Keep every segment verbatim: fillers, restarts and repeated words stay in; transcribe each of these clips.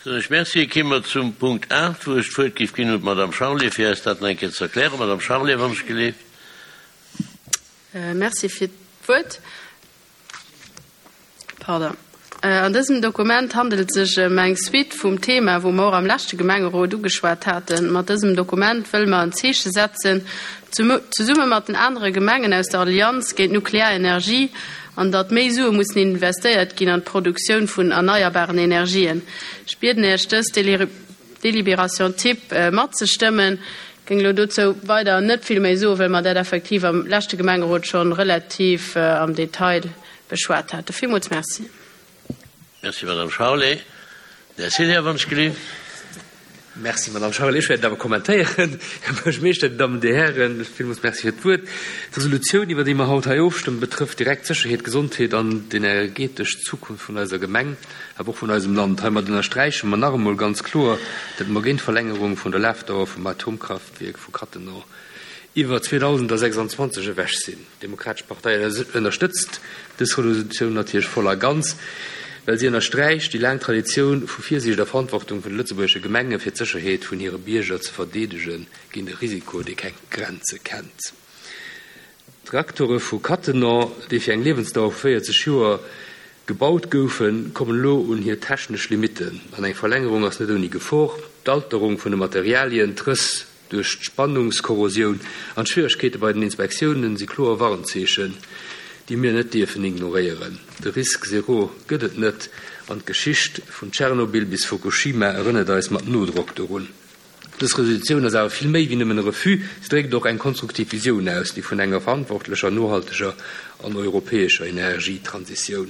Soen ech Merci. Ki mer zum Punkt aacht, wou ech d'Wuert géif ginn un d'Madame Charlé, fir eis dat nach eng Kéier ze erklären. Madame Charlé, wann ech geleeft. Merci fir d'Wuert. Pardon. An dësem Dokument handelt et sech ëm eng Suite vum Thema, wou mer och am leschte Gemengerot ugeschwat haten. Mat dësem Dokument wëlle mer en Zeeche setzen, zesumme mat den anere Gemengen aus der Allianz géint d'nuklear Energie, an datt méi Sue mussen investéiert ginn an d'Produktioun vun erneierbaren Energien. Ech bieden Iech, dës Délibération type matzestëmmen. Ech géing elo dozou weider net vill méi soen, well mer dat effektiv am leschte Gemengerot scho relativ am Detail beschwat haten. Villmools Merci. Merci, Madame Charlé. Här Célia, wann ech gelift. Merci, Madame Charlé. Ech wäert et awer kommentéieren. Här Buergermeeschter, Dir Dammen, Dir Hären, villmools Merci fir d'Wuert. D'Resolutioun, iwwer déi mer haut hei ofstëmmen, betrëfft direkt d'Sécherheet, d'Gesondheet an d'energetesch Zukunft vun eiser Gemeng, awer och vun eisem Land. Heimat ënnersträiche mer nach emol ganz kloer, datt mer géint d'Verlängerung vun der Lafdauer vum Atomkraftwierk vu Cattenom iwwer zweedausendsechsanzwanzeg ewech sinn. D'Demokratesch Partei ënnerstëtzt dës Resolutioun natierlech voll a ganz, well si ënnersträicht déi laang Traditioun vu Virsiicht a Verantwortung vun de lëtzebuergesche Gemenge fir d'Sécherheet vun hire Bierger ze verdeedege géint e Risiko, dee keng Grenze kennt. D'Reaktore vu Cattenom, déi fir eng Liewensdauer vu véierzeg Joer gebaut goufen, kommen elo un hir technesch Limitten an eng Verlängerung ass net ouni Gefor. D'Alterung vun de Materialien, d'Rëss duerch d'Spannungskorrosioun an d'Schwieregkeete bei den Inspektiounen si kloer Warnzeechen, déi mir net dierfen ignoréieren. De Risque zéro gëtt et net an d'Geschicht vun Tschernobyl bis Fukushima erënnert eis mat Nodrock dorun. Dës Resolutioun ass awer vill méi wéi nëmmen e Refus, si dréckt och eng konstruktiv Visioun aus, déi vun enger verantwortlecher, nohalteger an europäescher Energietransitioun.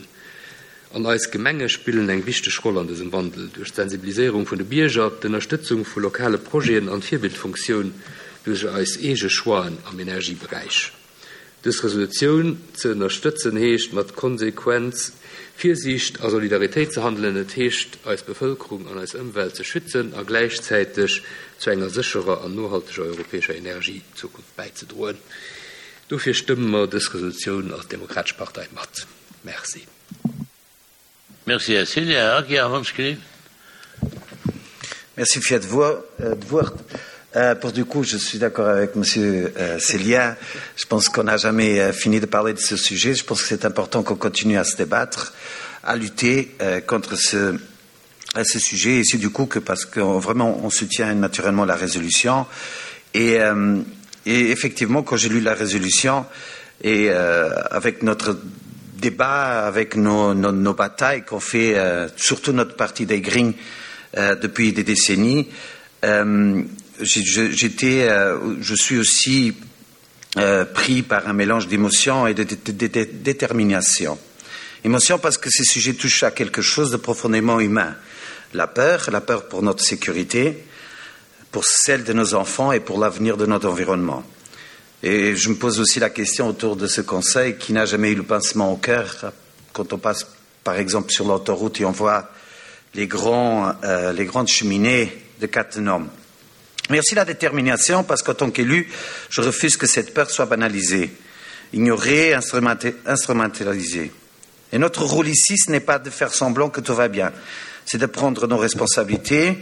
An eis Gemenge spillen eng wichteg Roll an dësem Wandel, duerch d'Sensibiliséierung vun de Bierger, d'Ënnerstëtzung vu lokale Projeten an d'Virbildfunktioun duerch eis eege Choixen am Energieberäich. Dës Resolutioun ze ënnerstëtzen heescht, mat Konsequenz, Virsiicht a Solidaritéit ze handelen. Et heescht, eis Bevëlkerung an eis Ëmwelt ze schützen a gläichzäiteg zu enger sécherer an nohalteger europäescher Energiezukunft bäizedroen. Dofir stëmme mer dës Resolutioun als Demokratesch Partei mat. Merci. Merci, Här Cillien. Här Aguiar, wann ech gelift. Merci fir d'Wuert. Pour du coup, je suis d'accord avec Monsieur Cillien. Je pense qu'on n'a jamais fini de parler de ce sujet. Je pense que c'est important qu'on continue à se débattre, à lutter contre ce à ce sujet. Et c'est du coup que parce que vraiment on soutient naturellement la résolution. Et, euh, et effectivement, quand j'ai lu la résolution et euh, avec notre débat, avec nos, nos, nos batailles qu'on fait, euh, surtout notre parti des Greens euh, depuis des décennies, euh, j'étais, euh, je suis aussi euh, pris par un mélange d'émotions et de, de, de, de détermination. Émotion parce que ces sujets touchent à quelque chose de profondément humain. La peur, la peur pour notre sécurité, pour celle de nos enfants et pour l'avenir de notre environnement. Et je me pose aussi la question autour de ce conseil qui n'a jamais eu le pincement au cœur quand on passe par exemple sur l'autoroute et on voit les, grands, euh, les grandes cheminées de Cattenom. Mais aussi la détermination parce qu'en tant qu'élu, je refuse que cette peur soit banalisée, ignorée, instrumentalisée. Et notre rôle ici, ce n'est pas de faire semblant que tout va bien, c'est de prendre nos responsabilités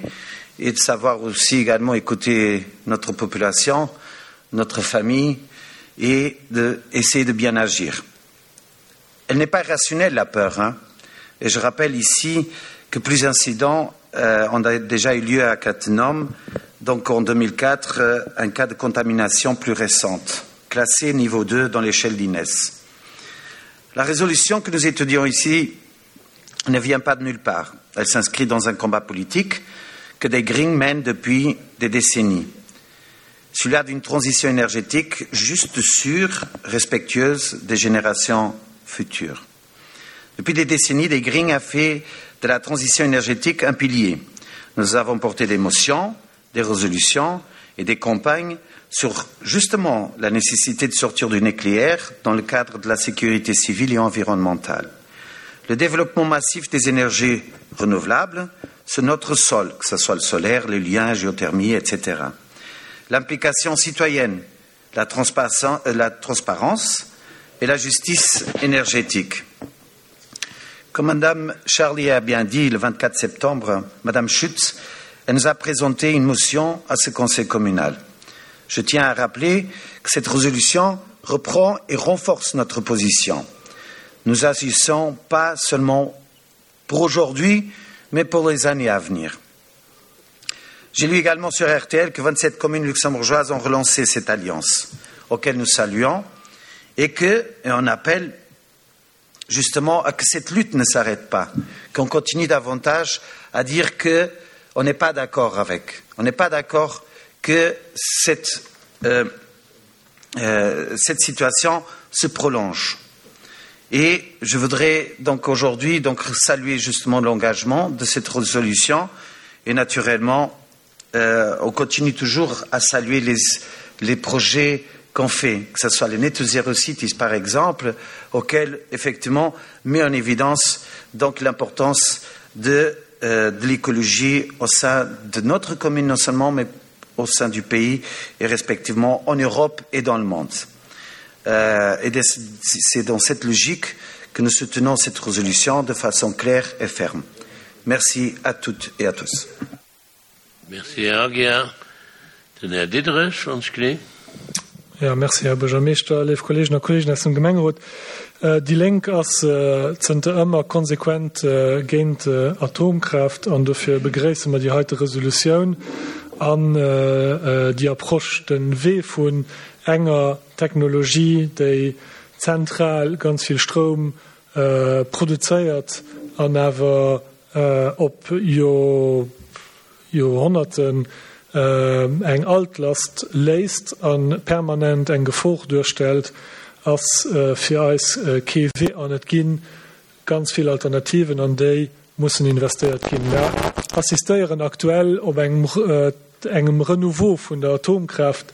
et de savoir aussi également écouter notre population, notre famille et d'essayer de bien agir. Elle n'est pas rationnelle, la peur. Hein et je rappelle ici que plus incidents euh, ont déjà eu lieu à Cattenom, donc en deux mille quatre, euh, un cas de contamination plus récente, classé niveau deux dans l'échelle d'I N E S. La résolution que nous étudions ici ne vient pas de nulle part. Elle s'inscrit dans un combat politique que des Greens mènent depuis des décennies. Celui-là d'une transition énergétique juste, sûre, respectueuse des générations futures. Depuis des décennies, des Greens a fait de la transition énergétique un pilier. Nous avons porté des motions, des résolutions et des campagnes sur justement la nécessité de sortir du nucléaire dans le cadre de la sécurité civile et environnementale. Le développement massif des énergies renouvelables sur notre sol, que ce soit le solaire, l'éolien, la géothermie, et cetera. L'implication citoyenne, la transparence et la justice énergétique. Comme Madame Charlier a bien dit le vingt-quatre septembre, Madame Schütz, elle nous a présenté une motion à ce conseil communal. Je tiens à rappeler que cette résolution reprend et renforce notre position. Nous agissons pas seulement pour aujourd'hui, mais pour les années à venir. J'ai lu également sur R T L que vingt-sept communes luxembourgeoises ont relancé cette alliance, auquel nous saluons, et que, et on appelle justement à que cette lutte ne s'arrête pas, qu'on continue davantage à dire que on n'est pas d'accord avec, on n'est pas d'accord que cette, euh, euh, cette situation se prolonge. Et je voudrais donc aujourd'hui donc saluer justement l'engagement de cette résolution et naturellement, euh, on continue toujours à saluer les, les projets qu'on fait, que ce soit les Net Zero Cities par exemple, auxquels effectivement met en évidence donc l'importance de, euh, de l'écologie au sein de notre commune non seulement, mais au sein du pays et respectivement en Europe et dans le monde. Euh, et c'est dans cette logique que nous soutenons cette résolution de façon claire et ferme. Merci à toutes et à tous. Merci, Herr Aguiar. Den Herr Diederich, uns Klee. Ja, merci, Herr Bürgermeister, liebe Kolleginnen und Kollegen aus dem Gemeinderat. Äh, die Lenk ass, äh, zënter ëmmer konsequent, äh, géint, äh, Atomkraft an dofir begréisse mer déi heite Resolutioun an, äh, äh, déi Approche den Wee vun enger Technologie, déi zentral ganz viel Strom, äh, produzéiert an awer, äh, op Jo-, Joerhonnerten, äh, eng Altlast léist an permanent eng Gefor duerstellt, ass, äh, fir eis, äh, kee Wee an et ginn ganz vill Alternativen, an déi mussen investéiert ginn. Wir assistéieren aktuell op engem, äh, engem Renouveau vun der Atomkraft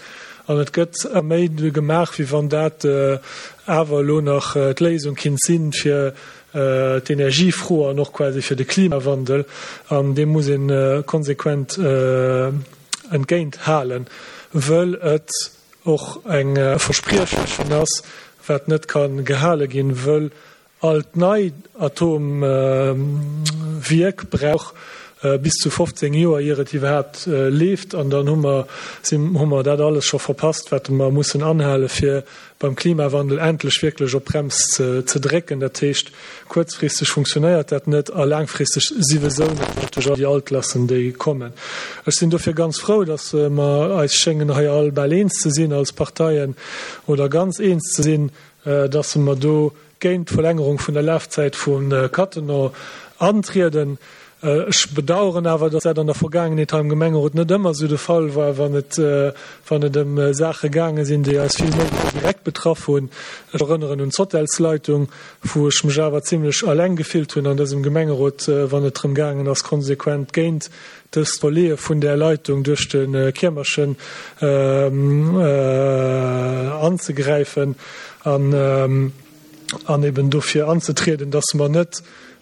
an et gëtt méi gemaach, wie wann dat, äh, awer lo nach, äh, d'Léisung kind sinn fir, äh, d'Energiefro an och quasi fir de Klimawandel, an dem muss een, äh, konsequent, äh, entgéint halen, wëll et och eng, äh, Verspriechen ass, wat net kann gehale ginn, wëll alt nei Atomwierk, äh, brauch, äh, bis zu fofzéng Joer ier et iwwerhaapt, äh, leeft, an dann hu mer, sinn, hu mer dat alles scho verpasst, wat mer mussen anhale fir beim Klimawandel endlech wierklech op Brems ze, ze drécken. Dat heescht, kuerzfristeg funktionéiert dat net a laangfristeg siwesou net duerch all déi Altlassen, déi kommen. Ech sinn dofir ganz frou, dass, äh, mer eis schéngen hei all bal eens ze sinn als Parteien oder ganz eens ze sinn, äh, dass mer do géint d'Verlängerung vun der Lafzäit vun, äh, Cattenom antrieden. Äh, ech bedauern awer, dass dat an der Vergangenheit am Gemengerot net ëmmer so de Fall war, wann et, äh, wann et ëm, äh, Sache gaange sinn, déi eis vill méi direkt betraff hunn. Ech erënneren un d'Hotelsleitung, wou ech mech awer ziemlech alleng gefillt hunn an dësem Gemengerot, äh, wann et drëm gaangen ass, konsequent géint dës Verleeë vun der Leitung duerch den, äh, Kiermerchen, ähm, äh, anzegräifen an, ähm, an eben dofir anzutreten, dass man net,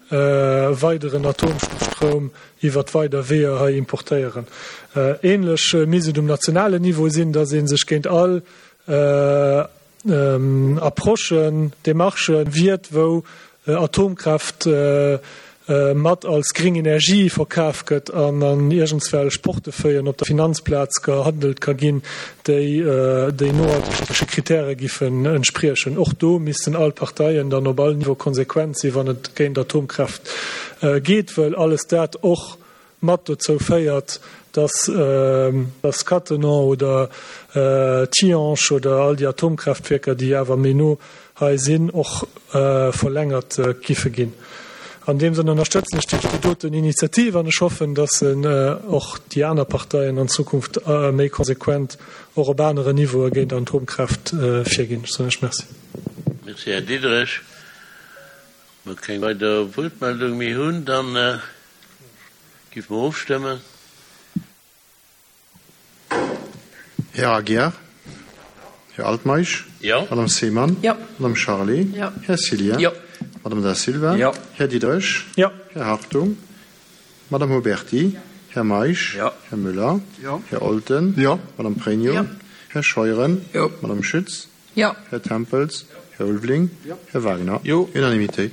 äh, weiteren Atomstrom iwwer weider Weeër hei importéieren. Äh, ähnlich, äh, misst et um nationalen Niveau sinn, dass een sech géint all, äh, ähm, Approchen, Demarchen wiert, wou, äh, Atomkraft, äh, äh, mat als gering Energie verkauft gëtt an an irgendwelche Portefeuillen op der Finanzplatz gehandelt ka ginn, déi, äh, déi nohaltege Kriterien giffen entsprechen. Och do missten all Parteien dann op all Niveau konsequent sinn, wann et géint Atomkraft, äh, geht, well alles dat och mat dozou féiert, dass, äh, dass Cattenom oder, äh, Tihange oder all die Atomkraftwerker, déi awer méi no hei sinn, och, äh, verlängert, äh, giffe ginn. An dem Sinne unterstützen ich die doten Initiative und ich hoffe, dass, äh, och die anderen Parteien an Zukunft, äh, méi konsequent och op anere Niveau géint Atomkraft, äh, virginn. Ich sage merci. Merci, Herr Diederich. Wenn wir keine weitere Wortmeldung mehr haben, dann, äh, geben wir aufstimmen. Herr Aguiar, Herr Altmaisch, Ja. Madame Seemann, Ja. Madame Charlé, Ja. Herr Cilien, Ja. Madame da Silva, Ja. Herr Diederich, Ja. Herr Hartung, Madame Huberti, Ja. Herr Maisch, Ja. Herr Müller, Ja. Herr Olten, Ja. Madame Pregno, Ja. Herr Scheuren, Ja. Madame Schütz, Ja. Herr Tempels, Herr Ulveling, Ja. Herr Wagner. Jo. Unanimité.